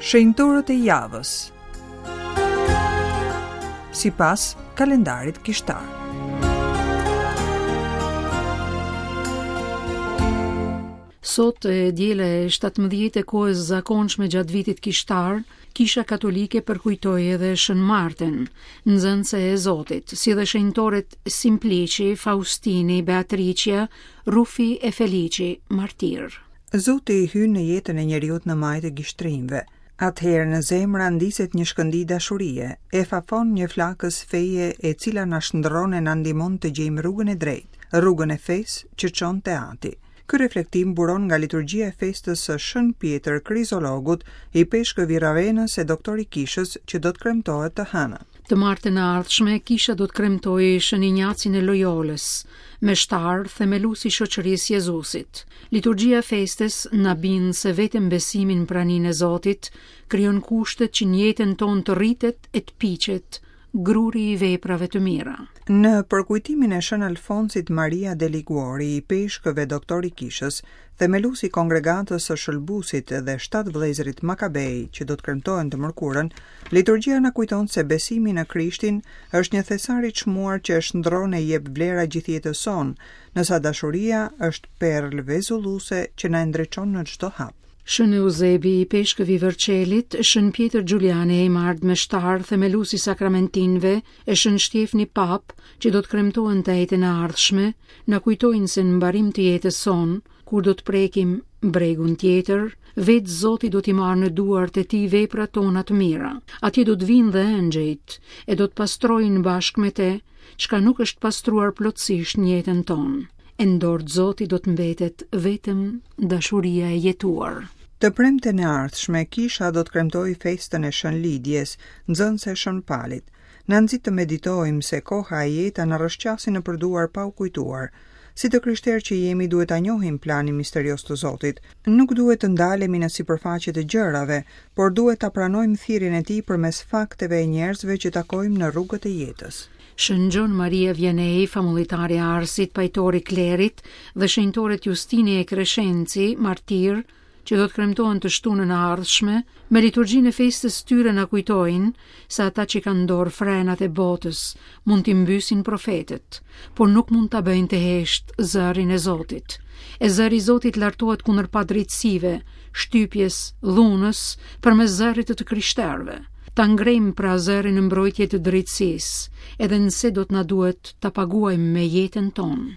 Shenjtorët e javës. Sipas kalendarit kishtar. Sot e diela e 17 e kohës zakonshme gjatë vitit kishtar, Kisha Katolike përkujtoi edhe Shën Martën, nxënëse e Zotit, si dhe shenjtorët Simplici, Faustini, Beatriçja, Rufi e Felici, martirë. Zoti hyn në jetën e njeriut në majë të gishtrinjve. Atëherë në zemra ndizet një shkëndijë dashurie, e fafon një flakëz feje e cila na shndërron e na ndihmon të gjejmë rrugën e drejtë, rrugën e fesë që çon te Ati. Ky reflektim buron nga liturgjia e festës së Shën Pjetër Krizologut, ipeshkëv i Ravenës e doktor i Kishës, që do të kremtohet të hënën. Të martën e ardhshme, Kisha do të kremtojë Shën Injacin e Lojolës, meshtar, themelues i Shoqërisë Jezusit. Liturgjia e festës na bind se vetëm besimi në praninë e Zotit krijon kushtet që në jetën tonë të rritet e të piqet gruri i veprave të mira. Në përkujtimin e Shën Alfonsit Maria de Liguori, ipeshkëv e doktor i Kishës, themelues i Kongregatës së Shëlbuesit dhe shtatë vëllezërit Makabej që do të kremtohen të mërkurën, liturgjia na kujton se besimi në Krishtin është një thesar i çmuar që e shndërron e i jep vlera gjithë jetës sonë, ndërsa dashuria është perlë vezulluese që na e ndriçon në çdo hap. Shën Euzebi, ipeshkëv i Verçelit, Shën Pjetër Xhulian Eymard, meshtar, themelues i sakramentinëve, e Shën Shtjefni Papë, që do të kremtohen të enjten e ardhshme, na kujtojnë se në mbarim të jetës sonë, kur do të prekim bregun tjetër, vetë Zoti do t'i marrë në duart e tij veprat tona të mira. Atje do të vijnë dhe engjëjt, e do të pastrojnë bashkë me te, çka nuk është pastruar plotësisht në jetën tonë. E në dorë të Zotit do të mbetet vetëm dashuria e jetuar. Të premten e ardhshme, Kisha do të kremtojë festën e Shën Lidjes, nxënëse e Shën Palit. Na nxit të meditojmë se koha e jeta na rrëshqasin nëpër duar pa u kujtuar. Si të krishterë që jemi duhet ta njohim planin misterioz të Zotit. Nuk duhet të ndalemi në sipërfaqe të gjërave, por duhet ta pranojmë thirrjen e tij përmes fakteve e njerëzve që takojmë në rrugët e jetës. Shën Gjon Maria Vianney, famullitari i Arsit, pajtor i klerit, dhe shenjtorët Justini e Kreshenci, martirë, që do të kremtohen të shtunën e ardhshme, me liturgjinë e festës tyre na kujtojnë se ata që kanë në dorë frenat e botës mund t'i mbysin profetët, por nuk mund ta bëjnë të heshtë zërin e Zotit. E zëri i Zotit lartohet kundër padrejtësive, shtypjes, dhunës, përmes zërit të të krishterëve. Ta ngrejmë pra zërin në mbrojtje të drejtësisë, edhe nëse do të na duhet ta paguajmë me jetën tonë.